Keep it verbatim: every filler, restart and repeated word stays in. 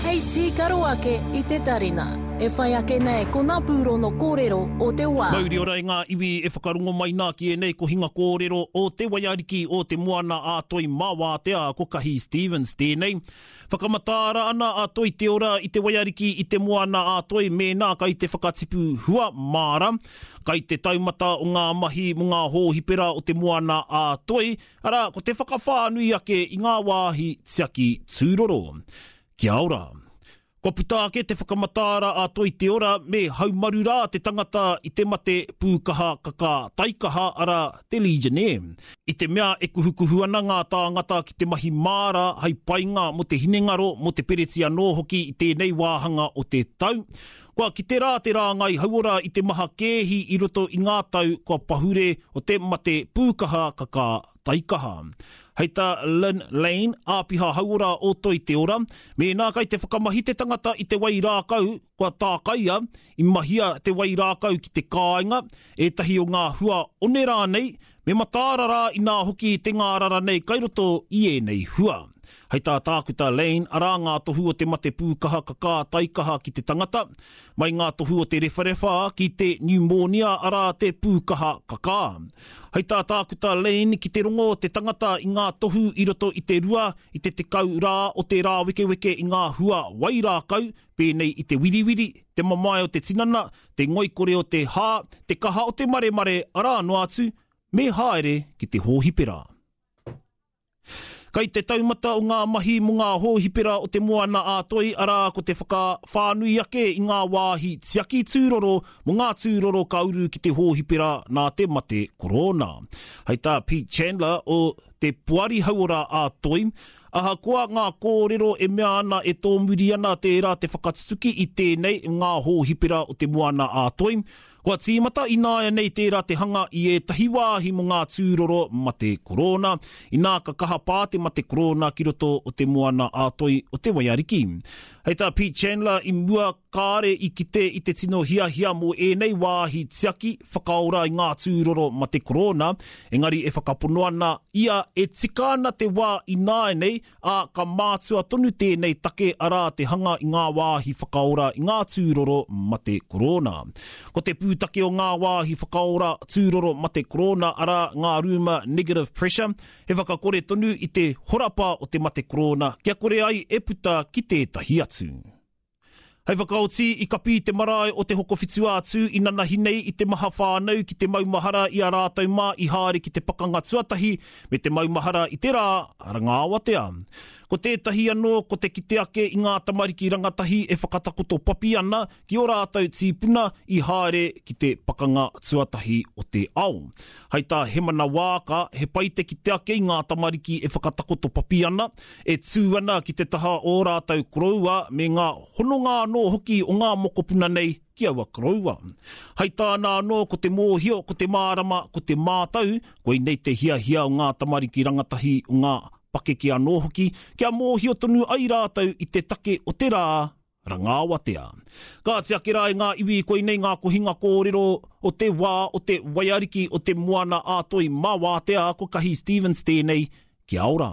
Hei tīkaro ake i te tarina. E whai ake nei ko ngā pūrono kōrero o te wā. Mauri ora i ngā iwi e whakarongo mai nā ki ēnei kohinga kōrero o te waiariki o te moana a Toi Mawātea ko Kahi Stevens tēnei. Whakamataara ana a Toi Te Ora i te waiariki i te moana a Toi mēnā kai te whakatipu hua māra, kai te taumata o ngā mahi mō ngā hōhipera o te moana a Toi, arā ko te whakawhānui ake i ngā wāhi tiaki tūroro. Kia ora. Kua puta ake te whakamataara a Toi Te Ora me haumaru rā te tangata i te mate pūkaha kakā taikaha arā te Legionnaire. I te mea e kuhukuhu ana ngā tāngata ki te mahi māra hai painga mō te hinengaro, mō te pereti anō hoki i tēnei wāhanga o te tau. Kua kite rā te rāngai hauora i te maha kēhi i roto i ngā tau kua pahure o te mate pūkaha kakā taikaha. Hei tā Lynn Lane, āpiha hauora o Toi Te Ora, mēnā kai te whakamahi te tangata i te wai rākau kua tākaia, i mahia te wai rākau ki te kāinga, ētahi o ngā hua one rānei, me mataara rā inā hoki te ngārara nei kai roto i ēnei hua. Hei tā Tākuta Lane, arā ngā tohu o te mate pūkaha kakā taikaha ki te tangata, mai ngā tohu o te rewharewha ki te pneumonia arā te pūkaha kakā. Hei tā Tākuta Lane ki te rongo te tangata i ngā tohu i roto i te rua, i te tekau rā o te rāwekeweke i ngā hua wai rākau, pēnei i te wiriwiri, te mamae o te tinana, te ngoikore o te hā, te kaha o te maremare, arā noa atu, me haere ki te hōhipera. Kai te taumata o ngā mahi mō ngā hōhipera o te moana a Toi, arā ko te whakawhānui ake i ngā wāhi tiaki tūroro mō ngā tūroro ka uru ki te hōhipera nā te mate korona. Hei tā Pete Chandler o te Poari Hauora a Toi, ahakoa ngā kōrero e mea ana e tōmuri ana tērā te whakatutuki i tēnei ngā hōhipera o te moana a Toi, kua tīmata ināianei tērā te hanga i ētahi wāhi mō ngā tūroro mate korona, inā ka kaha pā te mate korona ki roto o te moana a Toi o te Waiariki. Hei tā Pete Chandler i mua kāre i kite i te tino hiahia mō ēnei wāhi tiaki whakaora i ngā tūroro mate korona, engari e whakapono ana ia e tika ana te wā ināianei, ā ka mātua tonu tēnei take arā te hanga i ngā wāhi whakaora i ngā tūroro mate korona. Ko te pūtake o ngā wāhi whakaora tūroro mate korona arā ngā rūma negative pressure, he whakakore tonu i te horapa o te mate korona kia kore ai e puta ki tētahi atu. Hei whakaoti i kapi te marae o te Hokowhitu-a-Tū i nanahi nei i te maha whānau ki te maumahara i a rātou mā i haere ki te pakanga tuatahi me te maumahara i te rā rangaawatea. Ko tētahi anō ko te kite ake i ngā tamariki rangatahi e whakatakoto papi ana ki o rātou tīpuna i haere ki te pakanga tuatahi o te ao. Hei tā Hemana Wāka, he pai te kite ake i ngā tamariki e whakatakoto papi ana, e tū ana ki te taha o rātou koroua me ngā hononga anō hoki o ngā mokopuna nei ki aua koroua. Hei tāna anō ko te mōhio, ko te mārama, ko te mātau, koinei te hiahia o ngā tamariki rangatahi o ngā pakeke anō hoki, kia mōhio tonu ai rātou i te take o te rā rangaawatea. Kāti ake rā i ngā iwi koinei ngā kohinga kōrero o te wā o te waiariki o te moana a Toi Mawātea ko Kahi Stevens tēnei, kia ora.